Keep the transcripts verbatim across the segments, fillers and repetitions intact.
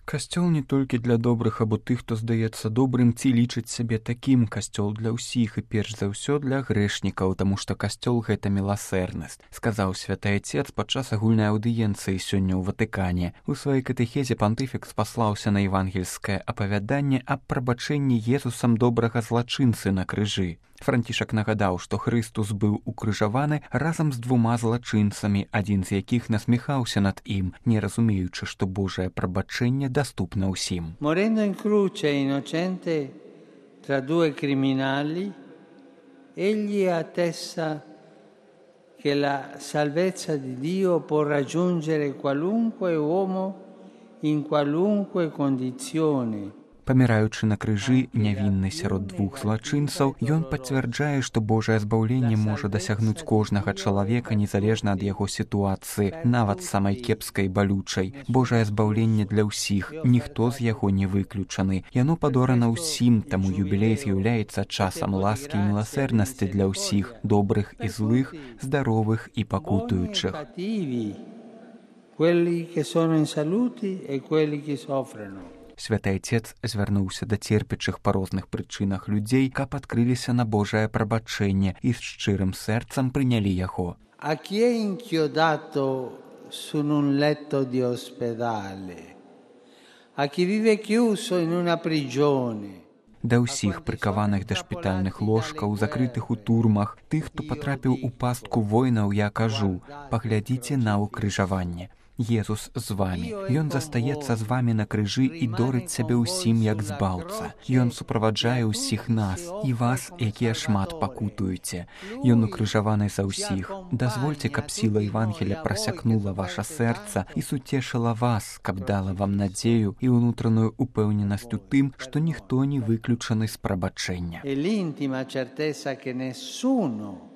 Касцёл не толькі для добрых або тых, хто здаецца добрым ці лічыць сябе такім. Касцёл для ўсіх і перш за ўсё для грэшнікаў, таму што касцёл — гэта міласэрнасць, сказаў святы Айцец падчас агульнай аўдыенцыі сёння ў Ватыкане. У сваёй катэхезе пантыфік спаслаўся на евангельскае апавяданне аб прабачэнні Езусам добрага злачынцы на крыжы. Францішак нагадаў, што Хрыстус быў укрыжаваны разам з двума злачынцамі, адзін з якіх насміхаўся над ім, не разумеючы, што Божае прабачэнне даступна ўсім. Morendo in croce innocente tra due criminali, egli attesta che la salvezza di Dio può raggiungere qualunque uomo in qualunque condizione. Паміраючы на крыжы нявінны сярод двух злачынцаў, ён пацвярджае, што Божае збаўленне можа дасягнуць кожнага чалавека незалежна ад яго сітуацыі, нават самай кепскай і балючай. Божае збаўленне для ўсіх, ніхто з яго не выключаны. Яно падорана ўсім, таму юбілей з'яўляецца часам ласкі і міласэрнасці для ўсіх, добрых і злых, здаровых і пакутуючых. Quelli che sono in salute e quelli che soffrono. Святы Айцец звярнуўся да церпячых па розных прычынах людзей, каб адкрыліся на Божае прабачэнне і з шчырым сэрцам прынялі яго. A chi è inchiodato su un letto di ospedale, a chi vive chiuso in una prigione. Да ўсіх прыкаваных да шпітальных ложкаў, закрытых у турмах, тых, хто патрапіў у пастку войнаў, я кажу: паглядзіце на ўкрыжаванне. Езус з вамі. Ён застаецца з вамі на крыжы і дорыць сябе ўсім як збаўца. Ён суправаджае ўсіх нас і вас, якія шмат пакутуеце. Ён укрыжаваны за ўсіх. Дазвольце, каб сіла Евангелія прасякнула ваша сэрца і суцешыла вас, каб дала вам надзею і ўнутраную упэўненасць у тым, што ніхто не выключаны з прабачэння. E l'intima certezza che nessuno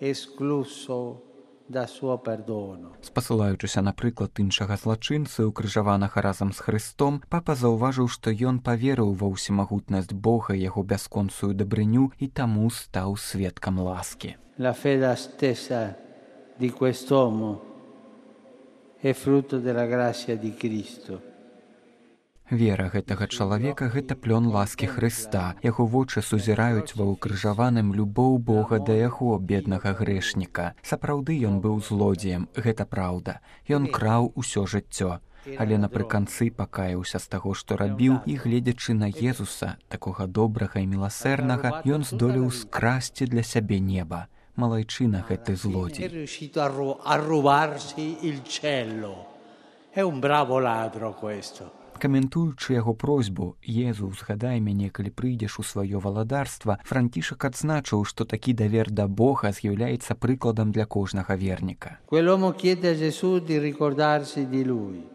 è escluso da suo perdono. Спасылаючыся на прыклад іншага злачынцы, укрыжаванага разам з Хрыстом, папа заўважыў, што ён паверыў ва ўсемагутнасць Бога, яго бясконцую дабрыню і таму стаў сведкам ласкі. La fede stessa di quest'uomo è frutto della grazia di Cristo. Вера гэтага чалавека — гэта плён ласкі Хрыста. Яго вочы сузіраюць ва ўкрыжаваным любоў Бога да яго, беднага грэшніка. Сапраўды ён быў злодзеем, гэта праўда. Ён краў усё жыццё. Але напрыканцы пакаяўся з таго, што рабіў, і, гледзячы на Езуса, такога добрага і міласэрнага, ён здолеў скрасці для сябе неба. Малайчына гэты злодзей. È un bravo ladro questo. Каментуючы яго просьбу: «Езу, згадай мяне, калі прыйдзеш у сваё валадарства», Францішак адзначыў, што такі давер да Бога з'яўляецца прыкладам для кожнага верніка. Quell'uomo chiede a Gesù di ricordarsi di lui.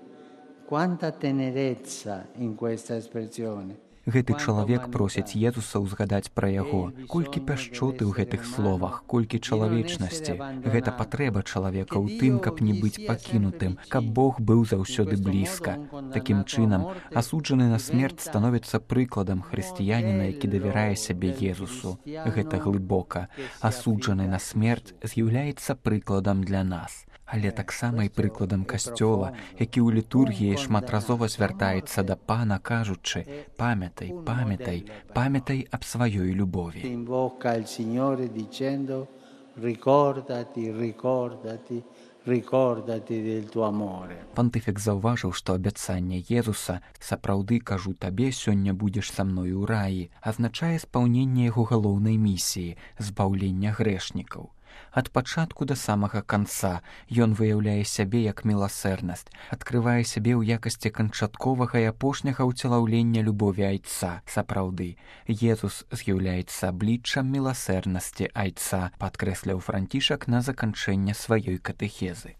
Quanta tenerezza in questa espressione. Гэты чалавек просіць Езуса ўзгадаць пра яго. Колькі пяшчоты ў гэтых словах, колькі чалавечнасці. Гэта патрэба чалавека ў тым, каб не быць пакінутым, каб Бог быў заўсёды блізка. Такім чынам, асуджаны на смерць становіцца прыкладам хрысціяніна, які давярае сябе Езусу. Гэта глыбока. Асуджаны на смерць з'яўляецца прыкладам для нас. Але таксама і прыкладам касцёла, які ў літургіі шматразова звяртаецца да Пана, кажучы: «Памятай, памятай, памятай аб сваёй любові». Invoca il Signore dicendo: ricordati, ricordati, ricordati del tuo amore. Пантыфік заўважыў, што абяцанне Езуса «сапраўды кажу табе, сёння будзеш са мною ў раі» азначае спаўненне яго галоўнай місіі — збаўлення грэшнікаў. Ад пачатку да самага канца ён выяўляе сябе як міласэрнасць, адкрывае сябе ў якасці канчатковага і апошняга ўцелаўлення любові Айца. Сапраўды, Езус з'яўляецца абліччам міласэрнасці Айца, падкрэсліў Францішак на заканчэнне сваёй катэхезы.